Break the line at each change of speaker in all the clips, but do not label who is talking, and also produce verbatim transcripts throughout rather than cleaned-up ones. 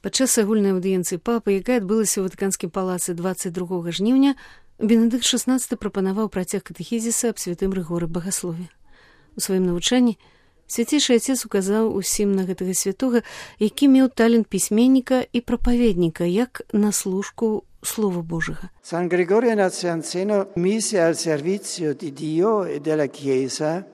Падчас агульнай аўдыенцыі папы, якая адбылася ў Ватыканскім палацы дваццаць другога жніўня, Бенедыкт шаснаццаты прапанаваў працяг катэхізіса аб святым Рыгоры Багаслове. У сваім навучанні свяцейшы Отец указаў усім на гэтага святога, які меў талент пісьменніка і прапаведніка, як на служку Слова Божага.
San Gregorio Nazianzeno mise al servizio di Dio e della Chiesa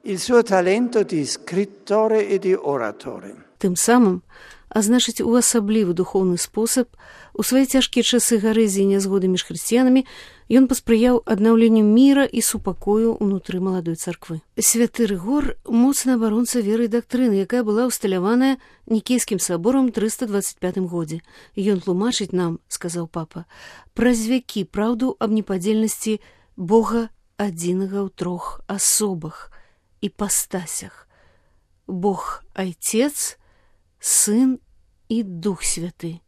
il suo talento di scrittore e di oratore.
Тым самым, а значыць, у асаблівы духоўны спосаб, у свае цяжкія часы гарэзіі і нязгоды між хрысціянамі ён паспрыяў аднаўленню міра і супакою ўнутры маладой царквы. Святы Рыгор – моцны абаронца веры і дактрыны, якая была ўсталяваная Нікейскім саборам трыста дваццаць пятым годзе. Ён тлумачыць нам, сказаў папа, праз вякі праўду аб непадзельнасці Бога адзінага ў трох асобах і пастасях. Бог – Айцец, Сын і Дух Святы.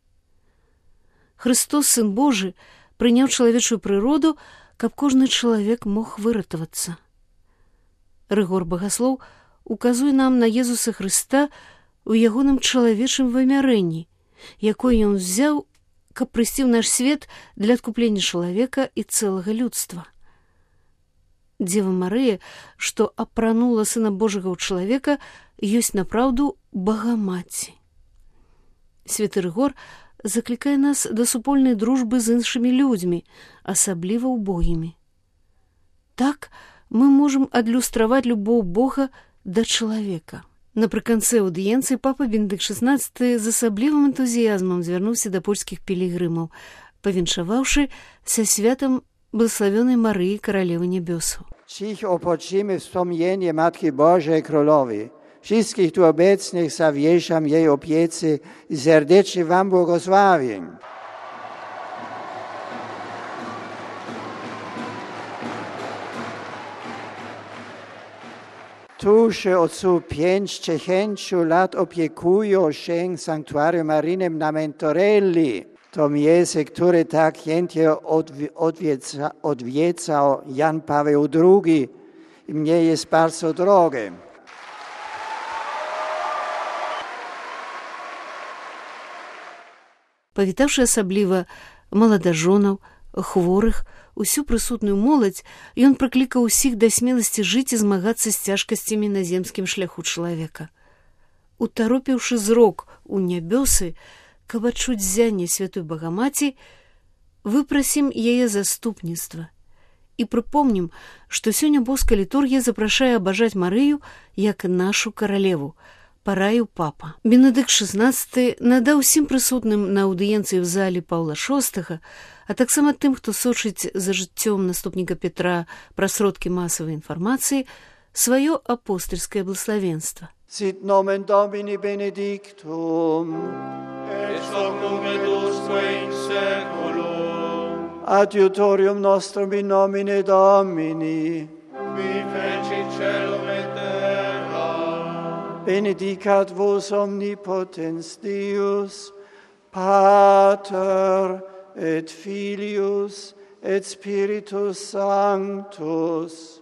Христос, Сын Божы, прыняў чалавечую прыроду, каб кожны чалавек мог выратавацца. Рыгор Багаслоў указуе нам на Езуса Хрыста ў ягоным чалавечым вымярэнні, якое ён взяў, каб прыйсці ў наш свет для адкуплення чалавека і цэлага людства. Дзева Марыя, што апранула Сына Божага ў чалавека, ёсць напраўду Багамаці. Святы Рыгор заклікае нас да супольнай дружбы з іншымі людзьмі, асабліва убогімі. Так мы можам адлюстраваць любоў Бога да чалавека. Напрыканцы аўдыенцыі папа Бенедыкт шаснаццаты з асаблівым энтузіязмам звярнуўся да польскіх пілігрымаў, павіншаваўшы са святам Благословенной Марии, Королевы Небесу.
Dziś opoczymy wspomnienie Matki Bożej Królowej. Wszystkich tu obecnych zawieszam jej opiece i serdecznie wam błogosławię. Tuż od pięć dziesięciu lat opiekują się sanktuarium maryjnym na Mentorelli. To miejsce, które tak chętnie odwiedza, odwiedzał Jan Paweł drugi i mnie jest bardzo drogie.
Павітаўшы асабліва маладажонаў, хворых, усю прысутную моладзь, ён прыклікаў усіх да смеласці жыць і змагацца з цяжкасцямі на земскім шляху чалавека. Утаропіўшы зрок у нябёсы, каб адчуць ззянне святой Багамаці, выпрасім яе заступніцтва і прыпомнім, што сёння боская літургія запрашае абажаць Марыю як нашу каралеву, параіў папа. Бенедыкт шаснаццаты надаў усім прысутным на аўдыенцыі ў зале Паўла шостага, а таксама тым, хто сочыць за жыццём наступніка Петра праз сродкі масавай інфармацыі, сваё апостальскае благословенство.
Sit nomen Domini benedictum,
et hoc nunc et usque in saeculum.
Adiutorium nostrum in nomine Domini,
Qui fecit caelum et terra.
benedicat vos omnipotens Deus, Pater et Filius et Spiritus Sanctus.